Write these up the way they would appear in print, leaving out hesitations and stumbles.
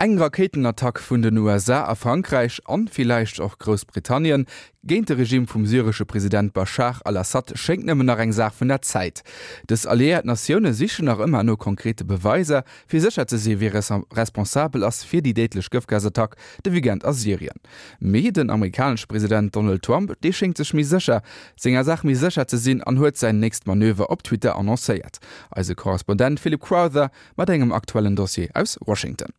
Eng Rakéitenattack vun den USA a Frankräich, an villäicht och Groussbritannien, géint de Regime vum syresche President Baschar al-Assad schéngt nëmmen nach eng Saach vun der Zäit. Dës alliéiert Natioune sichen nach ëmmer no konkrete Beweiser, fir sécher ze si wie responsabel ass fir déi déidlech Gëftgasattack de Weekend a Syrien. Mee den amerikanesche President Donald Trump, dee schéngt sech méi sécher senger Saach méi sécher ze sinn an huet säin nächst Manöver op Twitter annoncéiert. Eise Korrespondent Philip Crowther Mat engem aktuellen Dossier aus Washington.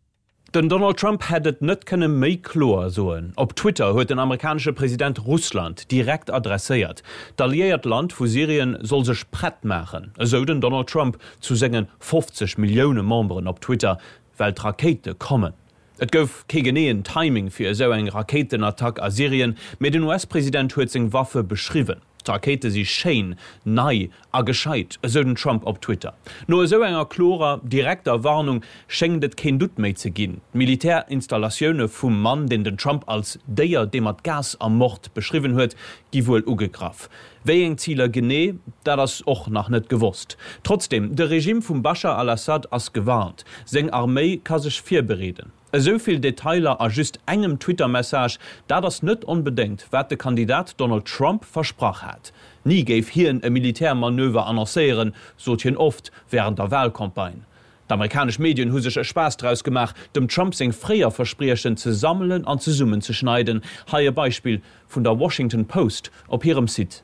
Den Donald Trump hätt et net kënne méi kloer soen. Op Twitter huet den amerikanesche President Russland direkt adresséiert. D'alliéiert Land vu Syrien soll sech prett maachen, esou den Donald Trump zu senge 50 Millioune Memberen op Twitter, well d'Rakéite kommen. Et gouf kee geneeën Timing fir esou eng Rakéitenattack a Syrien, mee den US-President huet seng Waffe beschriwwen. D'Rakéite si schéin, nei a gescheit, esou den Trump op Twitter. No esou enger klorer, direkter Warnung schéngt et keen Doute méi ze ginn. D'Militärinstallatioune vum Mann, deen den Trump als Déier, dee mat Gas ermort beschriwwen huet, gi wuel ugegraff. Wéi eng Ziler genee, dat ass och nach net gewosst. Trotzdeem, de Regime vum Baschar al-Assad ass gewarnt. Seng Arméi ka sech virbereeden. Esou vill Detailer a just engem Twitter-Message, dat ass net onbedéngt, wat de Kandidat Donald Trump versprach hat. Ni géif hien e Militärmanöver annoncéieren, sot hien oft wärend der Walcampagne. D'amerikanesch Medien hu sech e Spaass draus gemaach, dem Trump seng fréier Verspriechen ze sammelen an zesummenzeschneiden. Hei e Beispill vun der Washington Post op hirem Site.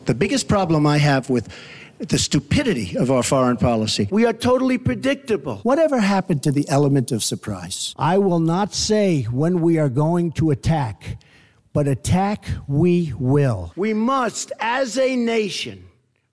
The biggest problem I have with the stupidity of our foreign policy. We are totally predictable. Whatever happened to the element of surprise? I will not say when we are going to attack, but attack we will. We must, as a nation,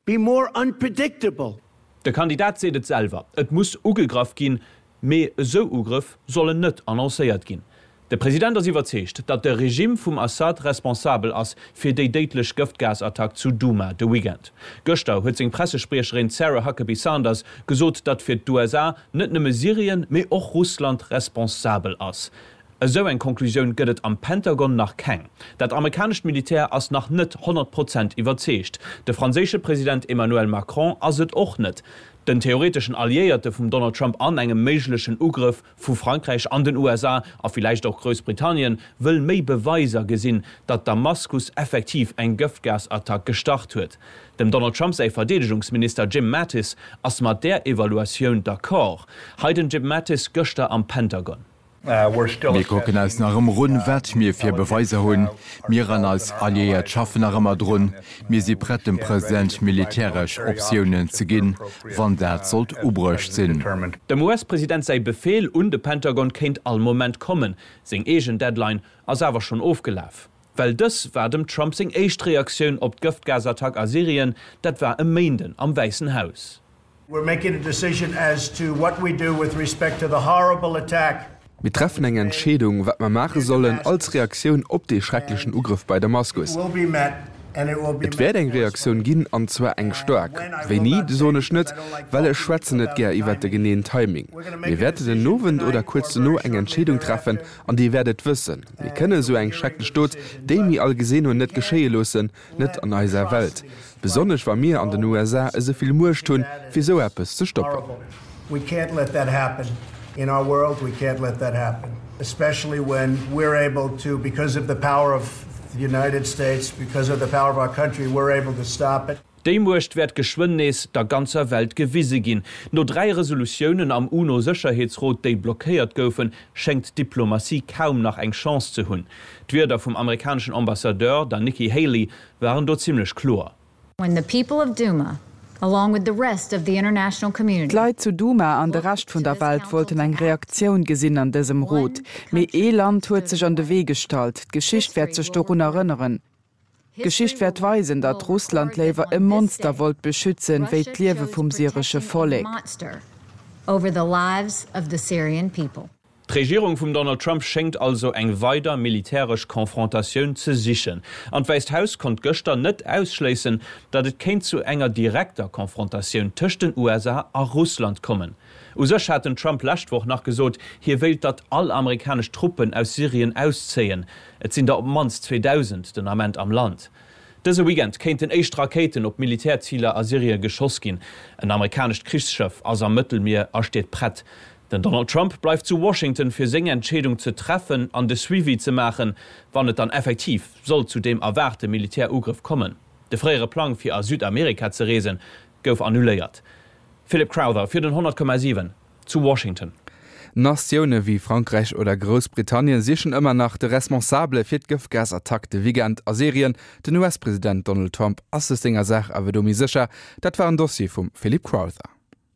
be more unpredictable. De Kandidat seet et selwer, et muss ugegraff ginn, mee esou Ugrëff sollen net annoncéiert ginn. De President ass iwwerzeegt, datt de Regime vum Assad responsabel ass fir déi déidlech Gëftgasattack zu Douma de Weekend. Gëschter huet seng Pressespriecherin Sarah Huckabee Sanders gesot, datt fir d'USA net nëmme Syrien, mee och Russland responsabel ass. Esou eng Conclusioun gëtt et am Pentagon nach keng. Dat amerikanescht Militär ass nach net 100 Prozent iwwerzeegt. De franséische President Emmanuel Macron ass et och net. Den theoreteschen Alliéierte vum Donald Trump an engem méiglechen Ugrëff vu Frankräich an den USA a villäicht och Groussbritannien wëll méi Beweiser gesinn, datt Damaskus effektiv eng Gëftgasattack gestart huet. Dem Donald Trump säi Verdeedegungsminister Jim Mattis ass mat där Evaluatioun d'accord. Hei den Jim Mattis gëschter am Pentagon. Mir kucken eis nach ëmmer un, wat mir fir Beweiser hunn. Mir an eis Alliéiert schaffen nach ëmmer drun. Mir si prett, dem President militäresch Optiounen ze ginn, wann dat sollt ubruecht sinn. Dem US-President säi Befeel un de Pentagon kéint all Moment kommen. Seng eegen Deadline ass awer schonn ofgelaf. Well dës war dem Trump seng éischt Reaktioun op d'Gëftgasattack a Syrien, dat war e Méinden am Wäissen Haus. We're making a decision as to what we do with respect to the horrible attack. Mir treffen eng Entscheedung, wat mer maache sollen als Reaktioun op dee schrecklechen Ugrëff bei Damaskus. Et wäert eng Reaktioun ginn, an zwar eng staark. Wéini, soen ech net, well ech schwätzen net gär iwwert de geneeën Timing. Mir wäerten den Owend oder kuerz dono eng Entscheedung treffen an Dir wäert et wëssen. Mir kënne esou eng schrecklech Dot, déi mir all gesinn hunn, net geschéie loossen. Net an eiser Welt, besonnesch wa mir an den USA esou vill Muecht hunn, fir esou eppes ze stoppen. Déi Muecht wäert geschwënn nees der ganzer Welt gewise ginn. No 3 Resolutiounen am UNO-Sécherheetsrot, déi blockéiert goufen, schéngt d'Diplomatie kaum nach eng Chance ze hunn. D'Wierder vum amerikaneschen Ambassadeur, der Nikki Haley, waren do zimmlech kloer. D'Leit zu Douma an de Rescht vun der Welt wollten eng Reaktioun gesinn an dësem Rot. Mee ee Land huet sech an de Wee gestallt. D'Geschicht wäert sech dorun erënneren. D'Geschicht wäert weisen, datt Russland léiwer e Monster wollt beschützen, wéi d'Liewe vum syresche Vollek. D'Regierung vum Donald Trump schéngt also eng weider militäresch Confrontatioun ze sichen. An d'Wäisst Haus konnt gëschter net ausschléissen, datt et kéint zu enger direkter Confrontatioun tëscht den USA a Russland kommen. U sech hat den Trump lescht Woch nach gesot, hie wéilt, datt all amerikanesch Truppen aus Syrien auszéien. Et sinn der op d'mannst 2.000 den Ament am Land. Dëse Weekend kéinten éischt Rakéiten op Militärziler a Syrie geschoss ginn. En amerikanescht Krichsschëff ass am Mëttelmier a steet prett. Den Donald Trump bleift zu Washington fir seng Entscheedung ze treffen an de Suivi ze maachen, wann et dann effektiv sollt zu deem erwaarte Militärugrëff kommen. De fréiere Plang fir a Südamerika ze reesen, gouf annuléiert. Philip Crowther fir den 100,7 zu Washington. Natioune wéi Frankräich oder Groussbritannien sichen ëmmer nach de Responsabele fir d'Gëftgasattack de Weekend a Syrien. Den US-President Donald Trump ass sech senger Saach awer do méi sécher. Dat war en Dossier vum Philip Crowther.